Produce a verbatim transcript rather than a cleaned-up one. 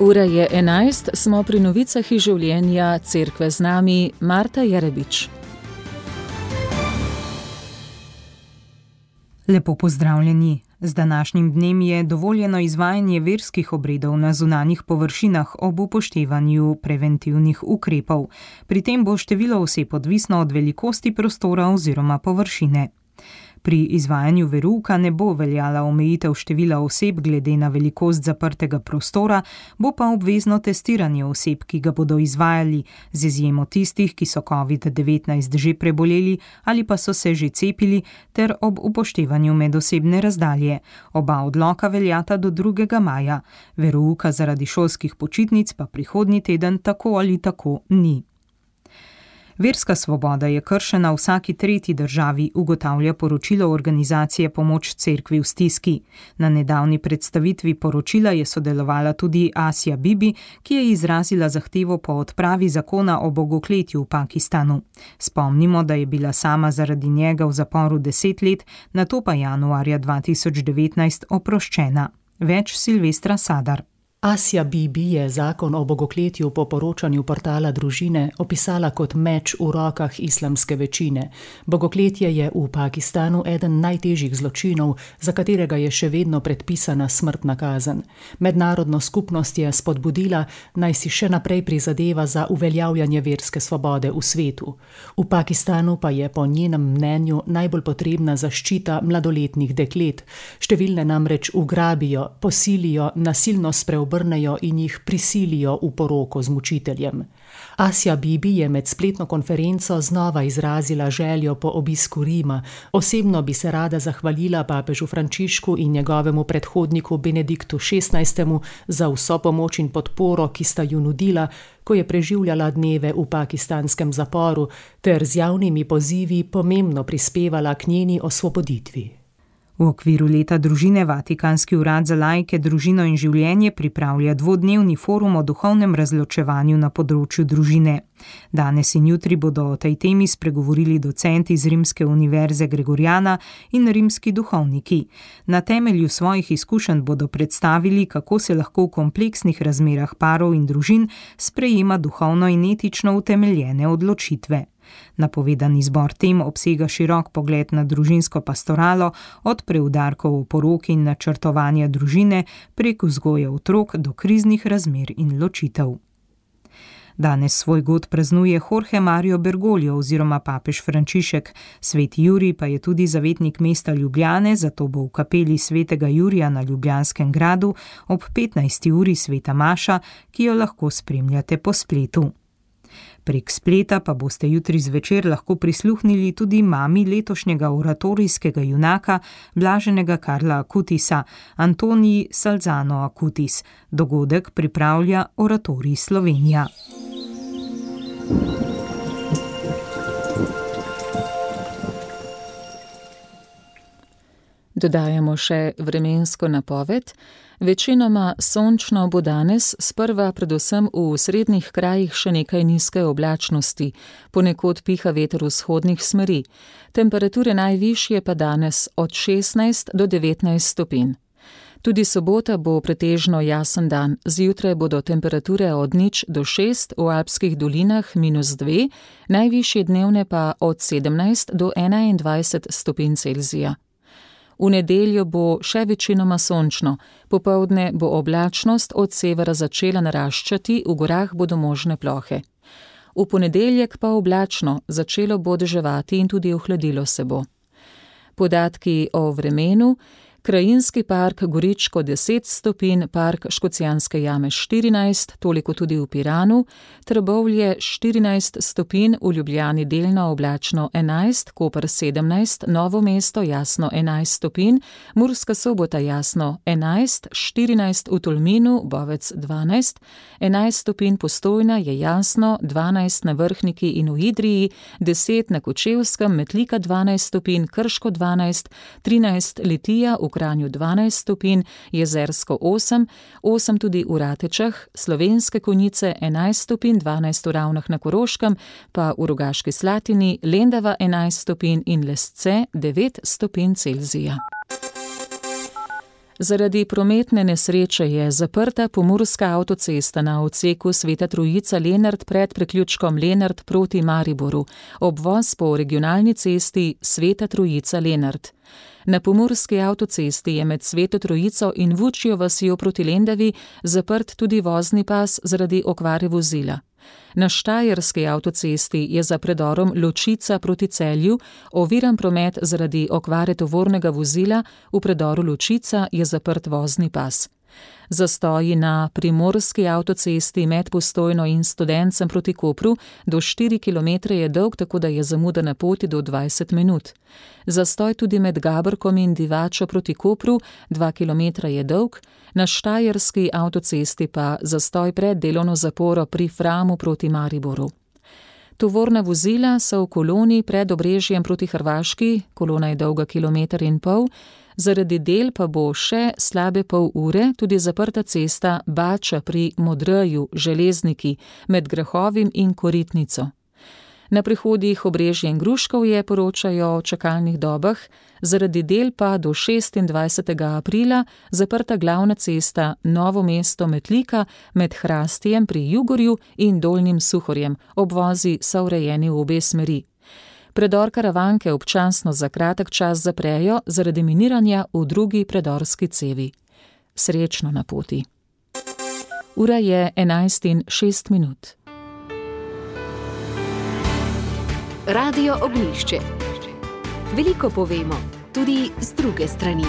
Ura je enajst, smo pri novicah iz življenja Cerkve z nami, Marta Jerebič. Lepo pozdravljeni. Z današnjim dnem je dovoljeno izvajanje verskih obredov na zunanjih površinah ob upoštevanju preventivnih ukrepov. Pri tem bo število oseb odvisno od velikosti prostora oziroma površine. Pri izvajanju verouka ne bo veljala omejitev števila oseb glede na velikost zaprtega prostora, bo pa obvezno testiranje oseb, ki ga bodo izvajali, z izjemo tistih, ki so covid devetnajst že preboleli ali pa so se že cepili, ter ob upoštevanju medosebne razdalje. Oba odloka veljata do drugega maja. Verouka zaradi šolskih počitnic pa prihodnji teden tako ali tako ni. Verska svoboda je kršena v vsaki tretji državi, ugotavlja poročilo organizacije Pomoč cerkvi v stiski. Na nedavni predstavitvi poročila je sodelovala tudi Asja Bibi, ki je izrazila zahtevo po odpravi zakona o bogokletju v Pakistanu. Spomnimo, da je bila sama zaradi njega v zaporu deset let, nato pa januarja dva tisoč devetnajst oproščena. Več Silvestra Sadar. Asja Bibi je zakon o bogokletju po poročanju portala Družine opisala kot meč v rokah islamske večine. Bogokletje je v Pakistanu eden najtežjih zločinov, za katerega je še vedno predpisana smrtna kazen. Mednarodno skupnost je spodbudila, naj si še naprej prizadeva za uveljavljanje verske svobode v svetu. V Pakistanu pa je po njenem mnenju najbolj potrebna zaščita mladoletnih deklet. Številne namreč ugrabijo, posilijo, nasilno spreobrnejo in jih prisilijo v poroko z mučiteljem. Asja Bibi je med spletno konferenco znova izrazila željo po obisku Rima. Osebno bi se rada zahvalila papežu Frančišku in njegovemu predhodniku Benediktu šestnajstemu za vso pomoč in podporo, ki sta ju nudila, ko je preživljala dneve v pakistanskem zaporu, ter z javnimi pozivi pomembno prispevala k njeni osvoboditvi. V okviru leta družine Vatikanski urad za laike, družino in življenje pripravlja dvodnevni forum o duhovnem razločevanju na področju družine. Danes in jutri bodo o tej temi spregovorili docenti z Rimske univerze Gregoriana in rimski duhovniki. Na temelju svojih izkušenj bodo predstavili, kako se lahko v kompleksnih razmerah parov in družin sprejema duhovno in etično utemeljene odločitve. Napovedani izbor tem obsega širok pogled na družinsko pastoralo, od preudarkov o poroki in načrtovanja družine prek vzgoje otrok do kriznih razmer in ločitev. Danes svoj god praznuje Jorge Mario Bergoglio oziroma papež Frančišek. Sveti Jurij pa je tudi zavetnik mesta Ljubljane, zato bo v kapeli svetega Jurija na Ljubljanskem gradu ob petnajsti uri sveta maša, ki jo lahko spremljate po spletu. Prek spleta pa boste jutri zvečer lahko prisluhnili tudi mami letošnjega oratorijskega junaka, blaženega Karla Akutisa, Antoniji Salzano Akutis. Dogodek pripravlja Oratorij Slovenija. Dodajamo še vremensko napoved. Večinoma sončno bo danes, sprva predvsem v srednjih krajih še nekaj nizke oblačnosti, ponekod piha veter vzhodnih smeri. Temperature najvišje pa danes od šestnajst do devetnajst stopinj. Tudi sobota bo pretežno jasen dan, zjutraj bodo temperature od nič do šest, v alpskih dolinah minus dve, najvišje dnevne pa od sedemnajst do enaindvajset stopinj Celzija. V nedeljo bo še večinoma sončno, popoldne bo oblačnost od severa začela naraščati, v gorah bodo možne plohe. V ponedeljek pa oblačno, začelo bo deževati in tudi ohladilo se bo. Podatki o vremenu: Krajinski park Goričko deset stopinj, park Škocjanske jame štirinajst, toliko tudi v Piranu, Trbovlje štirinajst stopinj, v Ljubljani delno oblačno enajst, Koper sedemnajst, Novo mesto jasno enajst stopinj, Murska Sobota jasno enajst, štirinajst v Tolminu, Bovec dvanajst, enajst stopinj Postojna je jasno, dvanajst na Vrhniki in v Idriji, deset na Kočevskem, Metlika dvanajst stopinj, Krško dvanajst, trinajst Litija, v Kranju dvanajst stopinj, Jezersko osem, osem tudi v Ratečah, Slovenske Konjice enajst stopinj, dvanajst v Ravnah na Koroškem, pa v Rogaški Slatini, Lendava enajst stopinj in Lesce devet stopinj Celzija. Zaradi prometne nesreče je zaprta pomurska avtocesta na odseku Sveta Trojica-Lenart pred priključkom Lenart proti Mariboru, obvoz po regionalni cesti Sveta Trojica-Lenart. Na pomurski avtocesti je med Sveto Trojico in Vučjo vasjo proti Lendavi zaprt tudi vozni pas zaradi okvare vozila. Na štajerski avtocesti je za predorom Ločica proti Celju oviran promet zaradi okvare tovornega vozila, v predoru Ločica je zaprt vozni pas. Zastoji na primorski avtocesti med Postojno in Studencem proti Kopru do štiri kilometre je dolg, tako da je zamuda na poti do dvajset minut. Zastoj tudi med Gabrkom in Divačo proti Kopru, dva kilometra je dolg, na štajerski avtocesti pa zastoj pred delovno zaporo pri Framu proti Mariboru. Tovorna vozila so v koloni pred Obrežjem proti Hrvaški, kolona je dolga kilometer in pol, zaradi del pa bo še slabe pol ure tudi zaprta cesta Bača pri Modreju, Železniki, med Grahovim in Koritnico. Na prehodih Obrežje in Gruškovje poročajo o čakalnih dobah, zaradi del pa do šestindvajsetega aprila zaprta glavna cesta Novo mesto-Metlika med Hrastijem pri Jugorju in Dolnjim Suhorjem, obvozi so urejeni v obe smeri. Predor Karavanke občasno za kratek čas zaprejo zaradi miniranja v drugi predorski cevi. Srečno na poti. Ura je enajst in šest minut. Radio Ognjišče. Veliko povemo, tudi z druge strani.